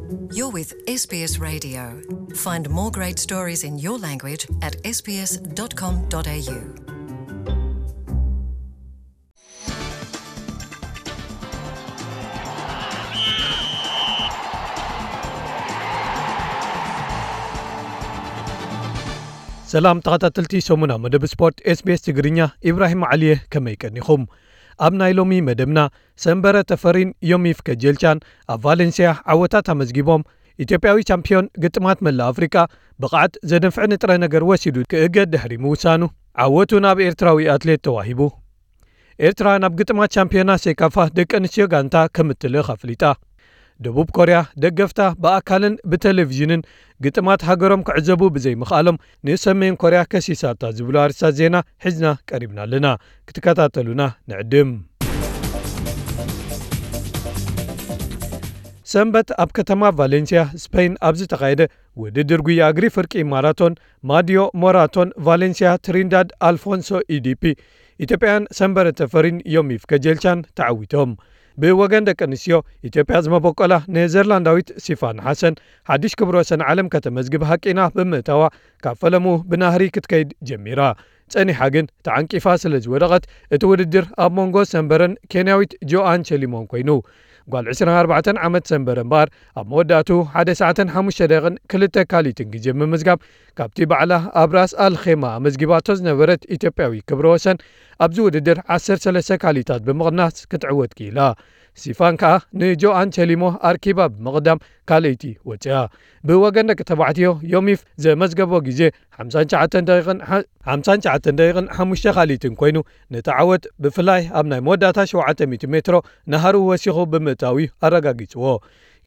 You're with S B S Radio. Find more great stories in your language at S B S dot com dot A U. ሰላም ተኸታተልቲ ሰሙና መደብ ስፖርት ኤስ ቢ ኤስ ትግርኛ፣ ኢብራሂም ዓሊየ፣ ከመይ ቀኒኹም? ኣብ ናይ ሎሚ መደብና፣ ሰንበረ ተፈሪን ዮሚፍ ከጀልቻን ኣብ ቫሌንሲያ ዓወታት ኣመዝጊቦም፣ ኢትዮጵያዊ ቻምፒዮን ግጥማት መላእ ኣፍሪቃ ብቕዓት ዘደንፍዕ ንጥረ ነገር ወሲዱ ክእገድ ድሕሪ ምውሳኑ፣ ዓወቱ ናብ ኤርትራዊ ኣትሌት ተዋሂቡ። ኤርትራ ናብ ግጥማት ቻምፒዮና ሴካፋ ደቂ ኣንስትዮ ጋንታ ከም እትልእኽ ኣፍሊጣ። ደቡብ ኮርያ ደገፍታ ብኣካልን ብቴሌቪዥንን ግጥማት ሃገሮም ክዕዘቡ ብዘይምኽኣሎም፣ ንሰሜን ኮርያ ከሲሳታ ዝብሉ ኣርእስታት ዜና ሒዝና ቀሪብና ኣለና። ክትከታተሉና ንዕድም። ሰንበት ኣብ ከተማ ቫሌንሲያ ስፔን ኣብ ዝተኻየደ ውድድር ጉያ እግሪ ፍርቂ ማራቶን ማዲዮ ሞራቶን ቫሌንሲያ ትሪንዳድ ኣልፎንሶ ኢዲፒ፣ ኢትዮጵያውያን ሰንበረ ተፈሪን ዮሚፍ ከጀልቻን ተዓዊቶም። ብወገን ደቂ ኣንስትዮ፣ ኢትዮጵያ ዝመበቆላ ኔዘርላንዳዊት ሲፋን ሓሰን ሓድሽ ክብረ ወሰን ዓለም ከተመዝግብ ሃቂና ብምእታዋ፣ ካብ ፈለሙ ብናህሪ ክትከይድ ጀሚራ። ጸኒሓ ግን ተዓንቂፋ ስለ ዝወደቐት፣ እቲ ውድድር ኣብ መንጎ ሰንበረን ኬንያዊት ጆኣን ቸሊሞን ኮይኑ። ጓል ዕስራን ኣርባዕተን ዓመት ሰንበረ እምበኣር፣ ኣብ መወዳእቱ ሓደ ሰዓትን ሓሙሽተ ደቂቕን ክልተ ካሊትን ግዜ ብምምዝጋብ፣ ካብቲ ባዕላ ኣብ ራስ ኣል ኼማ ኣመዝጊባቶ ዝነበረት ኢትዮጵያዊ ክብረ ወሰን፣ ኣብዚ ውድድር ዓሰርተ ሰለስተ ካሊታት ብምቕናስ ክትዕወት ክኢላ። ሲፋን ከኣ ንጆኣን ቸሊሞ ኣርኪባ ብምቕዳም ካልኣይቲ ወጽያ። ብወገን ደቂ ተባዕትዮ፣ ዮሚፍ ዘመዝገቦ ግዜ ሓምሳን ትሽዓተን ደቂቕን ሓ-፣ ሓምሳን ትሽዓተን ደቂቕን ሓሙሽተ ካሊትን ኮይኑ፣ ነቲ ዓወት ብፍላይ ኣብ ናይ መወዳእታ ሸውዓተ ሚእቲ ሜትሮ ናህሩ ወሲኹ ብምእታው እዩ ኣረጋጊጽዎ።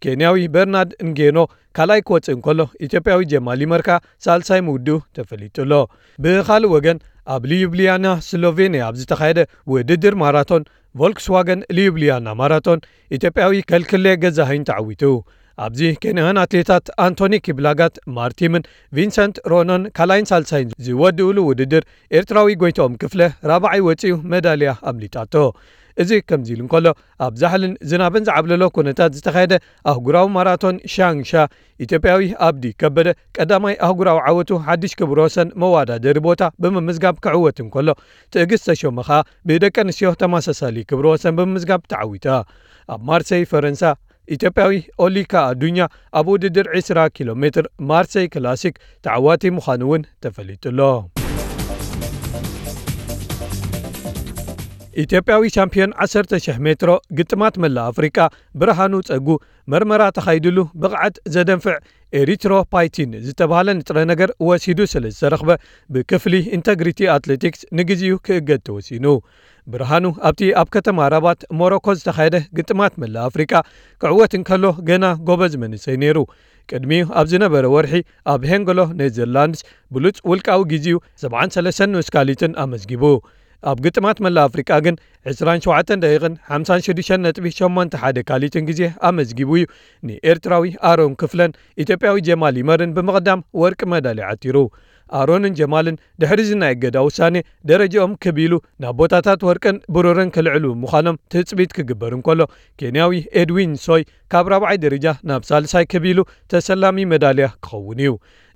ኬንያዊ በርናርድ እንጌኖ ካልኣይ ክወጽእ እንከሎ፣ ኢትዮጵያዊ ጀማል ይመር ከኣ ሳልሳይ ምውድኡ ተፈሊጡ ኣሎ። ብኻልእ ወገን፣ ኣብ ሊዩብሊያና ስሎቬንያ ኣብ ዝተኻየደ ውድድር ማራቶን፣ ቮልክስዋገን ሊዩብሊያና ማራቶን፣ ኢትዮጵያዊ ከልክሌ ገዛኸኝ ተዓዊቱ። ኣብዚ ኬንያውያን ኣትሌታት ኣንቶኒ ኪብላጋት ማርቲምን ቪንሰንት ሮኖን ካልኣይን ሳልሳይን ዝወድኡሉ ውድድር፣ ኤርትራዊ ጎይትኦም ክፍለ ራብዓይ ወጺኡ መዳልያ ኣምሊጣቶ። እዚ ከምዚ ኢሉ እንከሎ፣ ኣብ ዛሕልን ዝናብን ዝዓብለሎ ኩነታት ዝተኻየደ ኣህጉራዊ ማራቶን ሻንግሻ፣ ኢትዮጵያዊ ኣብዲ ከበደ ቀዳማይ ኣህጉራዊ ዓወቱ ሓድሽ ክብረ ወሰን መወዳደሪ ቦታ ብምምዝጋብ ክዕወት እንከሎ፣ ትዕግስት ተሾመ ኸኣ ብደቂ ኣንስትዮ ተመሳሳሊ ክብረ ወሰን ብምምዝጋብ ተዓዊታ። ኣብ ማርሰይ ፈረንሳ፣ ኢትዮጵያዊ ኦሊካ ኣዱኛ ኣብ ውድድር ዕስራ ኪሎ ሜትር ማርሰይ ክላሲክ ተዓዋቲ ምዃኑ እውን ተፈሊጡ ኣሎ። ኢትዮጵያዊ ሻምፒዮን ዓሰርተ ሺሕ ሜትሮ ግጥማት መላእ ኣፍሪቃ ብርሃኑ ጸጉ፣ መርመራ ተኻይድሉ ብቕዓት ዘደንፍዕ ኤሪትሮፓይቲን ዝተባህለ ንጥረ ነገር ወሲዱ ስለ ዝተረኽበ፣ ብክፍሊ ኢንተግሪቲ ኣትሌቲክስ ንግዚኡ ክእገድ ተወሲኑ። ብርሃኑ ኣብቲ ኣብ ከተማ ራባት ሞሮኮ ዝተኻየደ ግጥማት መላእ ኣፍሪቃ ክዕወት እንከሎ፣ ገና ጎበዝ መንእሰይ ነይሩ። ቅድሚኡ ኣብ ዝነበረ ወርሒ፣ ኣብ ሄንገሎ ኔዘርላንድስ ብሉጽ ውልቃዊ ግዚኡ ሰብዓን ሰለስተን ንኡስ ካሊትን ኣመዝጊቡ። ኣብ ግጥማት መላእ ኣፍሪቃ ግን፣ ዕስራን ሸውዓተን ደቂቕን ሓምሳን ሽዱሽተን ነጥቢ ሸሞንተ ሓደ ካሊትን ግዜ ኣመዝጊቡ እዩ ንኤርትራዊ ኣሮን ክፍለን ኢትዮጵያዊ ጀማል ይመርን ብምቕዳም ወርቂ መዳልያ ዓቲሩ። ኣሮንን ጀማልን ድሕሪ እዚ ናይ እገዳ ውሳኔ፣ ደረጃኦም ክብ ኢሉ ናብ ቦታታት ወርቅን ብሩርን ክልዕሉ ምዃኖም ትጽቢት ክግበር እንከሎ፣ ኬንያዊ ኤድዊን ሶይ ካብ ራብዓይ ደረጃ ናብ ሳልሳይ ክብ ኢሉ ተሰላሚ መዳልያ ክኸውን እዩ።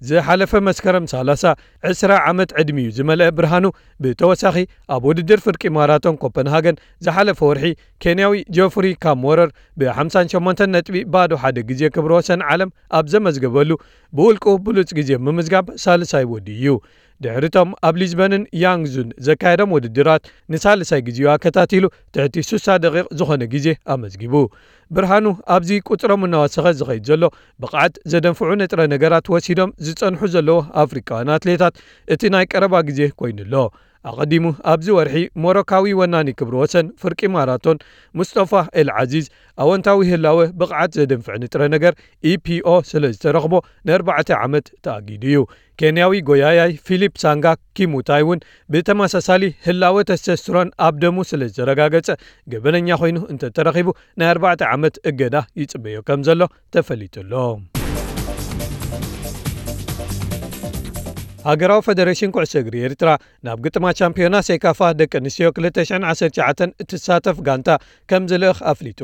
ዝሓለፈ መስከረም ሰላሳ፣ ዕስራ ዓመት ዕድሚኡ ዝመልአ ብርሃኑ፣ ብተወሳኺ ኣብ ውድድር ፍርቂ ማራቶን ኮፐንሃገን ዝሓለፈ ወርሒ፣ ኬንያዊ ጆፍሪ ካምወረር ብሓምሳን ሸሞንተን ነጥቢ ባዶ ሓደ ግዜ ክብረ ወሰን ዓለም ኣብ ዘመዝገበሉ፣ ብውልቁ ብሉጽ ግዜ ብምምዝጋብ ሳልሳይ ወዲኡ እዩ። ድሕሪቶም ኣብ ሊዝበንን ያንግዙን ዘካየዶም ውድድራት፣ ንሳልሳይ ግዜኡ ኣከታቲሉ ትሕቲ ስሳ ደቂቕ ዝኾነ ግዜ ኣመዝጊቡ። ብርሃኑ ኣብዚ ቁጽሮም እናወሰኸ ዝኸይድ ዘሎ፣ ብቕዓት ዘደንፍዑ ንጥረ ነገራት ወሲዶም ዝጸንሑ ዘለዉ ኣፍሪቃውያን ኣትሌታት፣ እቲ ናይ ቀረባ ግዜ ኮይኑ ኣሎ። ኣቐዲሙ ኣብዚ ወርሒ፣ ሞሮካዊ ወናኒ ክብረ ወሰን ፍርቂ ማራቶን ሙስጠፋ ኤል ዓዚዝ፣ ኣወንታዊ ህላወ ብቕዓት ዘደንፍዕ ንጥረ ነገር፣ ኢ ፒ ኦ፣ ስለ ዝተረኽቦ፣ ንኣርባዕተ ዓመት ተኣጊዱ እዩ። ኬንያዊ ጎያያይ ፊሊፕ ሳንጋ ኪሙታይ እውን ብተመሳሳሊ ህላወ ተስተስትሮን ኣብ ደሙ ስለ ዝተረጋገጸ፣ ገበነኛ ኮይኑ እንተተረኺቡ፣ ናይ ኣርባዕተ ዓመት እገዳ ይጽበዮ ከም ዘሎ ተፈሊጡ ኣሎ። ሃገራዊ ፈደሬሽን ኩዕሶ እግሪ ኤርትራ፣ ናብ ግጥማት ሻምፒዮና ሴካፋ ደቂ ኣንስትዮ ክልተ ሽሕን ዓሰርተ ትሽዓተን እትሳተፍ ጋንታ ከም ዝልእኽ ኣፍሊጡ።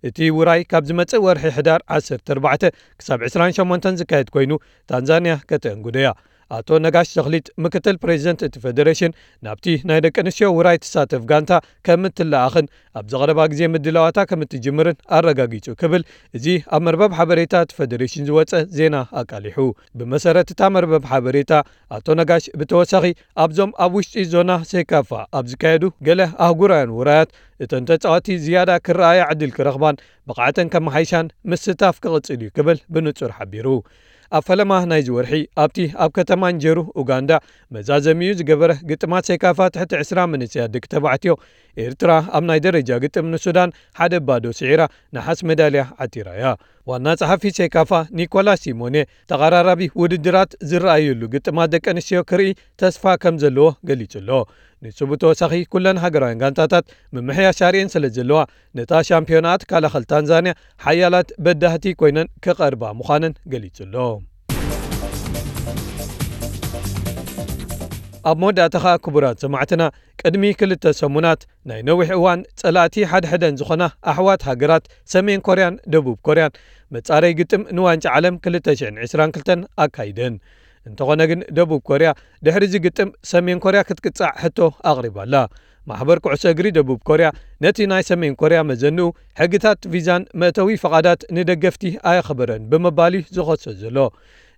እቲ ውራይ ካብ ዝመጽእ ወርሒ ሕዳር ዓሰርተ ኣርባዕተ ክሳብ ዕስራን ሸሞንተን ዝካየድ ኮይኑ፣ ታንዛንያ ከተእንግዶ እያ። ኣቶ ነጋሽ ተኽሊት፣ ምክትል ፕሬዚደንት እቲ ፌዴሬሽን፣ ናብቲ ናይ ደቂ ኣንስትዮ ውራይ ትሳተፍ ጋንታ ከም እትለኣኽን ኣብ ዘቐረባ ግዜ ምድላዋታ ከም እትጅምርን ኣረጋጊጹ ክብል፣ እዚ ኣብ መርበብ ሓበሬታ እቲ ፌዴሬሽን ዝወጸ ዜና ኣቃሊሑ። ብመሰረት እታ መርበብ ሓበሬታ፣ ኣቶ ነጋሽ ብተወሳኺ ኣብዞም ኣብ ውሽጢ ዞና ሴካፋ ኣብ ዝካየዱ ገለ ኣህጉራውያን ውራያት፣ እተን ተጻወቲ ዝያዳ ክረኣያ ዕድል ክረኽባን ብቕዓተን ከመሓይሻን ምስታፍ ክቕጽል እዩ ክብል ብንጹር ሓቢሩ። ኣብ ፈለማ ናይዚ ወርሒ ኣብቲ ኣብ ከተማ እንጀሩ ኡጋንዳ መዛዘሚኡ ዝገበረ ግጥማት ሴካፋ ትሕቲ ዕስራ መንእሰያት ደቂ ተባዕትዮ፣ ኤርትራ ኣብ ናይ ደረጃ ግጥም ንሱዳን ሓደ ባዶ ስዒራ ነሓስ ሜዳልያ ዓቲራ እያ። ዋና ጸሓፊ ሴካፋ ኒኮላስ ሲሞኔ፣ ተቐራራቢ ውድድራት ዝረኣየሉ ግጥማት ደቂ ኣንስትዮ ክርኢ ተስፋ ከም ዘለዎ ገሊጹ ኣሎ። ንሱ ብተወሳኺ፣ ኩለን ሃገራውያን ጋንታታት ምምሕያሽ ኣርእየን ስለ ዘለዋ፣ ነታ ሻምፒዮና ትከላኸል ታንዛንያ ሓያላት በዳህቲ ኮይነን ክቐርባ ምዃነን ገሊጹ ኣሎ። ኣብ መወዳእታ ኸኣ፣ ክቡራት ሰማዕትና፣ ቅድሚ ክልተ ሰሙናት ናይ ነዊሕ እዋን ጸላእቲ ሓድሕደን ዝኾና ኣሕዋት ሃገራት ሰሜን ኮርያን ደቡብ ኮርያን መጻረይ ግጥም ንዋንጫ ዓለም ክልተ ሽሕን ዕስራን ክልተን ኣካይደን። እንተኾነ ግን፣ ደቡብ ኮርያ ድሕሪ እዚ ግጥም ሰሜን ኮርያ ክትቅጻዕ ሕቶ ኣቕሪባ ኣላ። ማሕበር ኩዕሶ እግሪ ደቡብ ኮርያ ነቲ ናይ ሰሜን ኮርያ መዘንኡ ሕግታት ቪዛን መእተዊ ፈቓዳት ንደገፍቲ ኣየኽበረን ብምባል እዩ ዝኸሶ ዘሎ።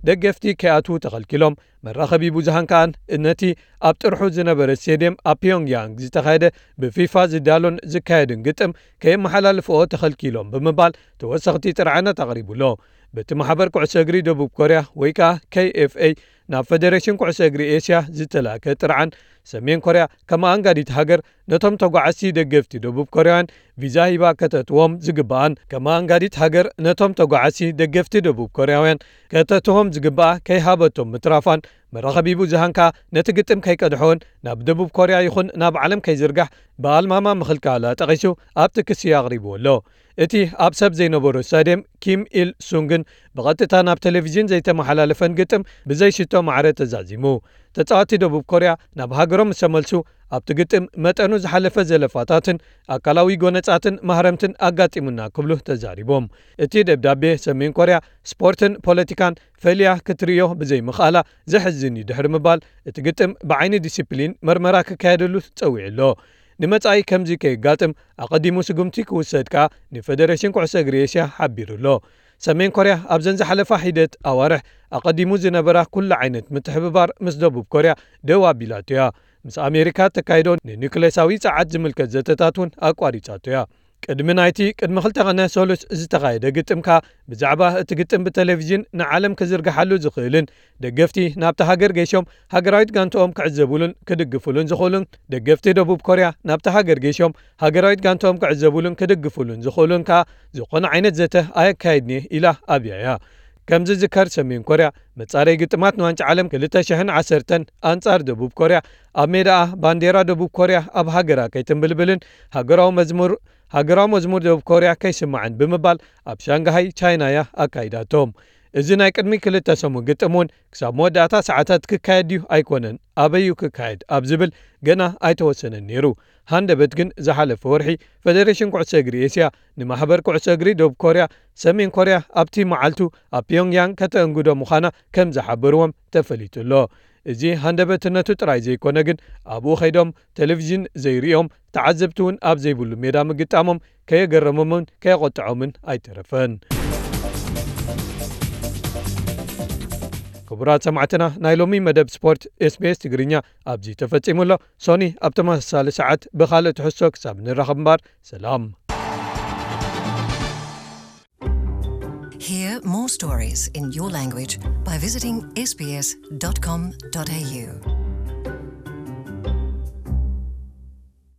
ደገፍቲ ከይኣትዉ ተኸልኪሎም፣ መራኸቢ ብዙሃን ከኣ ነቲ ኣብ ጥርሑ ዝነበረ ስቴድየም ኣብ ፒዮንግያንግ ዝተኻየደ ብፊፋ ዝዳሎን ዝካየድን ግጥም ከየመሓላልፍኦ ተኸልኪሎም ብምባል ተወሰኽቲ ጥርዓናት ኣቕሪቡ ኣሎ። በቲ ማሕበር ኩዕሶ እግሪ ደቡብ ኮርያ ወይ ከኣ ኬይ ኤፍ ኤ ናብ ፌደሬሽን ኩዕሶ እግሪ ኤስያ ዝተላእከ ጥርዓን፣ ሰሜን ኮርያ ከም ኣኣንጋዲት ሃገር ነቶም ተጓዓዝቲ ደገፍቲ ደቡብ ኮርያውያን ቪዛ ሂባ ከተእትዎም ዝግብኣን፣ ከም ኣኣንጋዲት ሃገር ነቶም ተጓዓዝቲ ደገፍቲ ደቡብ ኮርያውያን ከተእትዎም ዝግብኣ ከይሃበቶም ምትራፋን፣ መራኸቢ ብዙሃን ከኣ ነቲ ግጥም ከይቀድሖን ናብ ደቡብ ኮርያ ይኹን ናብ ዓለም ከይዝርጋሕ ብኣልማማ ምኽልካላ ጠቒሱ ኣብቲ ክሲ ኣቕሪብዎ ኣሎ። እቲ ኣብ ሰብ ዘይነበሮ ስታድየም ኪም ኢል ሱንግን ብቐጥታ ናብ ቴሌቪዥን ዘይተመሓላለፈን ግጥም ብዘይሽቶ ማዕረ ተዛዚሙ። ተጻወቲ ደቡብ ኮርያ ናብ ሃገሮም ምስ ተመልሱ፣ ኣብቲ ግጥም መጠኑ ዝሓለፈ ዘለፋታትን ኣካላዊ ጎነጻትን ማህረምትን ኣጋጢሙና ክብሉ ተዛሪቦም። እቲ ደብዳቤ፣ ሰሜን ኮርያ ስፖርትን ፖለቲካን ፈልያ ክትርእዮ ብዘይምኽኣላ ዘሕዝን እዩ ድሕሪ ምባል፣ እቲ ግጥም ብዓይኒ ዲሲፕሊን መርመራ ክካየደሉ ጸዊዑ ኣሎ። ንመጻኢ ከምዚ ከየጋጥም ኣቐዲሙ ስጉምቲ ክውሰድ ከኣ ንፈደረሽን ኩዕሶ እግሪ ኤስያ ሓቢሩ ኣሎ። ሰሜን ኮርያ ኣብዘን ዝሓለፋ ሒደት ኣዋርሕ ኣቐዲሙ ዝነበራ ኩሉ ዓይነት ምትሕብባር ምስ ደቡብ ኮርያ ደው ኣቢላቶ እያ። ምስ ኣሜሪካ ተካይዶ ንኒውክሌሳዊ ጸዓት ዝምልከት ዘተታት እውን ኣቋሪጻቶ እያ። ቅድሚ ናይቲ ቅድሚ ክልተ ቐነ ሰሉስ ዝተኻየደ ግጥም ከኣ ብዛዕባ እቲ ግጥም ብቴሌቪዥን ንዓለም ክዝርግሓሉ ዝኽእልን ደገፍቲ ናብቲ ሃገር ገይሾም ሃገራዊት ጋንትኦም ክዕዘቡሉን ክድግፉሉን ዝኽእሉን ደገፍቲ ደቡብ ኮርያ ናብቲ ሃገር ገይሾም ሃገራዊት ጋንትኦም ክዕዘቡሉን ክድግፉሉን ዝኽእሉን ከኣ ዝኾነ ዓይነት ዘተ ኣየካየድን እየ ኢላ ኣብያ እያ። ከም ዝዝከር ሰሜን ኮርያ መጻረይ ግጥማት ንዋንጫ ዓለም ክልተ ሽሕን ዓሰርተን ኣንጻር ደቡብ ኮርያ ኣብ ሜዳኣ ባንዴራ ደቡብ ኮርያ ኣብ ሃገራ ከይትንብልብልን ሃገራዊ መዝሙር ሃገራዊ መዝሙር ደቡብ ኮርያ ከይስማዕን ብምባል ኣብ ሻንግሃይ ቻይና እያ ኣካይዳቶም። እዚ ናይ ቅድሚ ክልተ ሰሙን ግጥም እውን ክሳብ መወዳእታ ሰዓታት ክካየድ ድዩ ኣይኮነን፣ ኣበይ እዩ ክካየድ ኣብ ዝብል ገና ኣይተወሰነን ነይሩ። ሃንደበት ግን ዝሓለፈ ወርሒ ፈደሬሽን ኩዕሶ እግሪ ኤስያ ንማሕበር ኩዕሶ እግሪ ደቡብ ኮርያ ሰሜን ኮርያ ኣብቲ መዓልቱ ኣብ ፒዮንግያንግ ከተእንግዶ ምዃና ከም ዝሓበርዎም ተፈሊጡ ኣሎ። እዚ ሃንደበትነቱ ጥራይ ዘይኮነ ግን ኣብኡ ከይዶም ቴሌቪዥን ዘይርእዮም ተዓዘብቲ እውን ኣብ ዘይብሉ ሜዳ ምግጣሞም ከየገረሞምን ከየቆጥዖምን ኣይተረፈን። ክቡራት ሰማዕትና ናይ ሎሚ መደብ ስፖርት ኤስቢኤስ ትግርኛ ኣብዚ ተፈጺሙ ኣሎ። ሶኒ ኣብ ተመሳሳሊ ሰዓት ብኻልእ ትሕዝቶ ክሳብ ንራኸብ እምበር ሰላም። Hear more stories in your language by visiting sbs.com.au.